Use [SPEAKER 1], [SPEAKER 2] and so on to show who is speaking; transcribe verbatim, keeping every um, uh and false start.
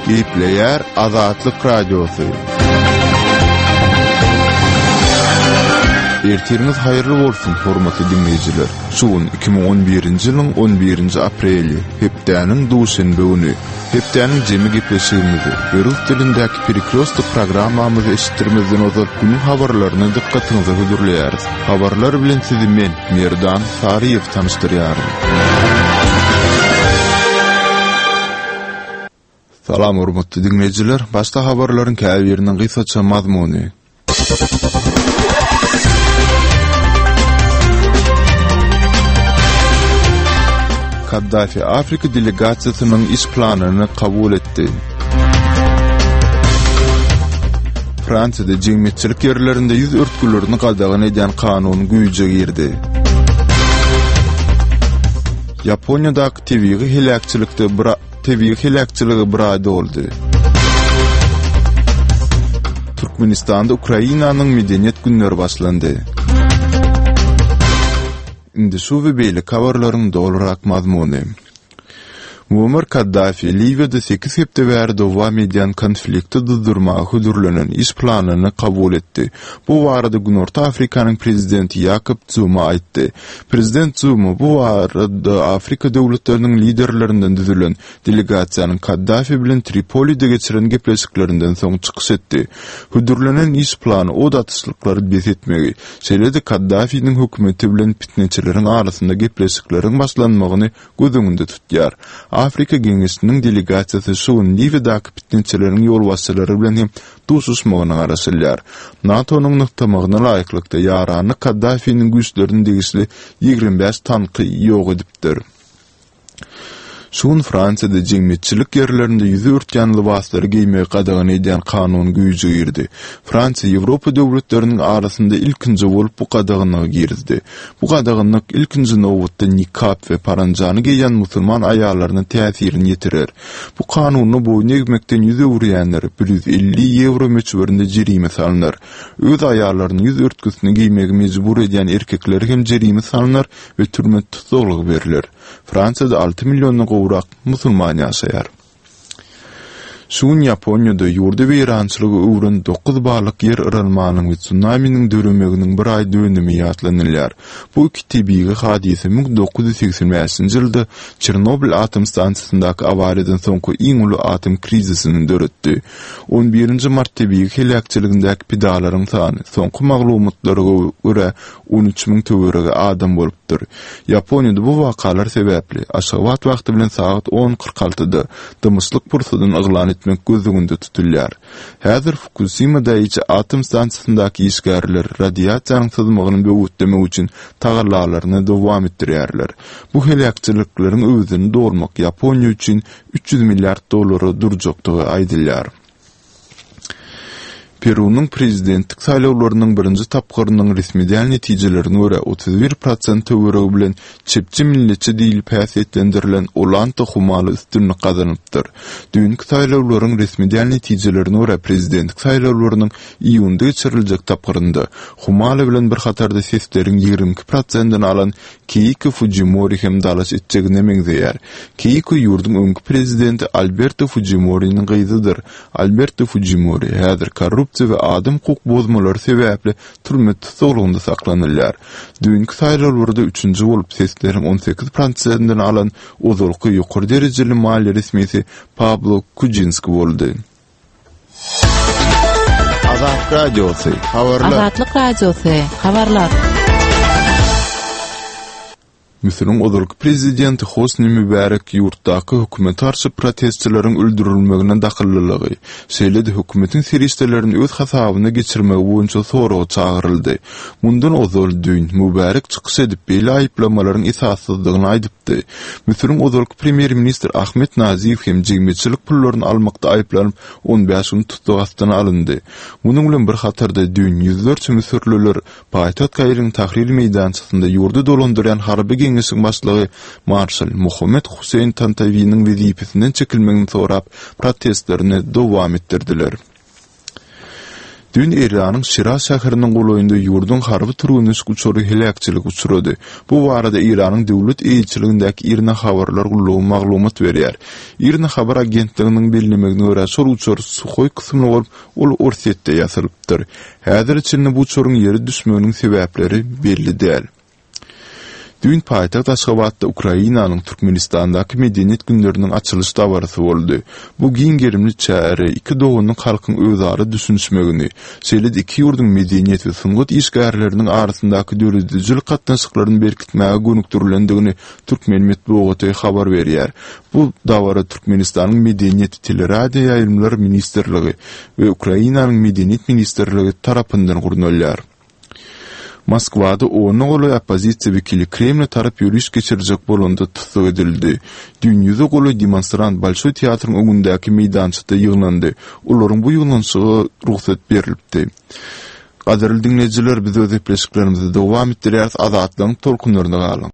[SPEAKER 1] Gepleýär Azatlyk Radiosy. Ertiriňiz haýyrly bolsun, hormatly diňleýjiler. Şu gün iki müň on birinji ýylyň on birinji apreli, hepdäniň duşenbe güni. Hepdäniň jemi gepleşigimizi we rus dilindäki Perekrýostok programmamyzy eşitdirmezden ozal günüň habarlaryny dykgatyňyza hödürleýäris. Habarlar bilen sizi men, Merdan Saryýew tanyşdyrýaryn. Salam hormatly diňleýjiler, başda habarlaryň käbiriniň gysgaça mazmuny. Kaddafi Afrika delegasiýasynyň iş planyny kabul etdi. Fransiýada jemgyýetçilik ýerlerinde ýüz örtgülerini gadagan edýän kanun güýje girdi. Ýaponiýadaky tebigy heläkçilikde bir tebigy heläkçiligi bir aý doldy. Türkmenistanda Ukrainanyň medeniýet günleri başlandy. Indi şu we beýleki habarlaryň dolurak mazmuny. Muammar Kaddafi Liwiýada sekiz hepde bäri dowam edýän konflikti duzdurmaga hödürlenen iş planyny kabul etdi. Bu barada Günorta Afrikanyň prezidenti Ýakob Zuma aýtdy. Prezident Zuma bu barada Afrika döwletleriniň liderlerinden düzülen delegasiýanyň Kaddafi bilen Tripolide geçiren gepleşiklerinden soň çykyş etdi. Hödürlenen iş plany od atyşlyklary bes etmegi, şeýle-de Kaddafiniň hökümeti bilen pitneçileriň arasynda gepleşikleriň başlanmagyny göz öňünde tutýar. Afrika Geňeşiniň delegasiýasy şu gün Liwiýadaky pitneçileriň ýolbaşçylary bilen hem duşuşmagyna garaşylýar. NATO-nyň nygtamagyna laýyklykda, ýaranlyk Kaddafiniň güýçlerine degişli ýigrimi bäş tanky ýok edipdir. Şu gün Fransiýada jemgyýetçilik ýerlerinde ýüzi örtýän lybaslary geýmegi gadagan edýän kanun güýje girdi. Fransiýa Ýewropa döwletleriniň arasynda ilkinji bolup bu gadaganlygy girizdi. Bu gadaganlyk ilkinji nobatda nikap we paranjany geýýän musulman aýallaryna täsirini ýetirer. Bu kanuna boýun egmekden ýüz öwürýänlere bir ýüz elli ýewro möçberinde jerime salnar. Öz aýallaryny ýüz örtgüsini geýmegi mejbur edýän erkeklere hem jerime salnar we türme tussaglygy berler. Fransiýada alty milliondan gowrak musulman ýaşaýar. Şu gün Ýaponiýada ýurdy weýrançylyga öwren dokuz ballyk ýer yralmanyň we tsunaminiň döremeginiň bir aý dönümi ýatlanylýar. Bu iki tebigy hadysa müň dokuz ýüz segsen bäşinji ýylda Çernobyl atom stansiýasyndaky awariýadan soňky iň uly atom krizisini döretdi. On birinji mart tebigy heläkçiligindäki pidalaryň sany soňky maglumatlara görä on üç müň töweregi adam bolupdyr. Ýaponiýada bu wakalar sebäpli Aşgabat wagty bilen sagat on kyrk altyda dymyşlyk pursadyny yglan etmek göz öňünde tutulýar. Häzir Fukusima Daiichi atom stansiýasyndaky işgärler radiasiýanyň syzmagyny böwetlemek üçin tagallalaryny dowam etdirýärler. Bu heläkçilikleriň öwezini dolmak Ýaponiýa üçin üç ýüz milliard dollara durjakdygy aýdylýar. Perunyň prezidentlik saýlawlarynyň birinji tapgyrynyň resmi däl netijelerine görä otuz bir prosent töweregi bilen çepçi milletçi diýlip häsiýetlendirilen Ollanta Humala üstünlik gazanypdyr. Düýnki saýlawlaryň resmi däl netijelerine görä prezidentlik saýlawlarynyň iýunda geçiriljek tapgyrynda Humala bilen bir hatarda sesleriň ýigrimi iki prosentini alan Keýko Fujimori hem dalaş etjegine meňzeýär. Keýko ýurduň öňki prezidenti Alberto Fujimoriniň gyzydyr. Alberto Fujimori häzir korrupsiýa we adam hukuk bozmalary sebäpli türme tussaglygynda saklanylýar. Düýnki saýlawlarda üçünji bolup sesleriň on sekiz prosentini alan ozalky ýokary derejeli maliýe resmisi Pablo Kujinski boldy. Azatlyk Radiosy, habarlar.
[SPEAKER 2] Azatlyk Radiosy, habarlar.
[SPEAKER 1] Müsüriň ozalky prezidenti Hosni Mübärek ýurtdaky hökümete garşy protestçileriň öldürilmegine dahyllylygy, şeýle-de hökümetiň serişdelerini öz hasabyna geçirmegi boýunça soraga çagyryldy. Mundan ozal düýn Mübärek çykyş edip, beýle aýyplamalaryň esassyzdygyny aýdypdy. Müsüriň ozalky premýer-ministri Ahmed Nazif hem jemgyýetçilik pullaryny almakda aýyplanyp, on bäş gün tussag astyna alyndy. Munuň bilen bir hatarda düýn ýüzlerçe müsürliler paýtagt Kairiň Tahrir meýdançasynda ýurdy dolandyrýan harby geňeşiň başlygy marşal Muhammed Huseýn Tantawiniň wezipesinden çekilmegini sorap, protestlerini dowam etdirdiler. Düýn Eýranyň Şiraz şäheriniň golaýynda ýurduň harby türgenleşik uçary heläkçilige uçrady. Bu barada Eýranyň döwlet eýeçiligindäki IRNA habarlar gullugy maglumat berýär. IRNA habar agentliginiň bellemegine görä, şol uçar Suhoý kysymly bolup, ol Orsýetde ýasalypdyr. Häzire çenli bu uçaryň ýere düşmeginiň sebäpleri belli däl. Düýn paýtagt Aşgabatda Ukrainanyň Türkmenistandaky Medeniýet günleriniň açylyş dabarasy boldy. Bu giň gerimli çäre iki doganlyk halkyň özara düşünişmegini, şeýle-de iki ýurduň medeniýet we sungat işgärleriniň arasyndaky döredijilik gatnaşyklaryny berkitmäge gönükdirilendigini türkmen metbugaty habar berýär. Bu dabara Türkmenistanyň Medeniýet, teleradioýaýlymlar ministrligi we Ukrainanyň Medeniýet ministrligi tarapyndan gurnalýar. Moskwada ona golaý oppozisiýa wekili Kremle tarap ýöriş geçirjek bolanda tussag edildi. Düýn ýüze golaý demonstrant Bolşoý teatryň öňündäki meýdançada ýygnandy. Olaryň bu ýygnanyşyga rugsat berlipdi. Gadyrly diňleýjiler, biz öz gepleşiklerimizi dowam etdirýäris, Azatlygyň tolkunlarynda galyň.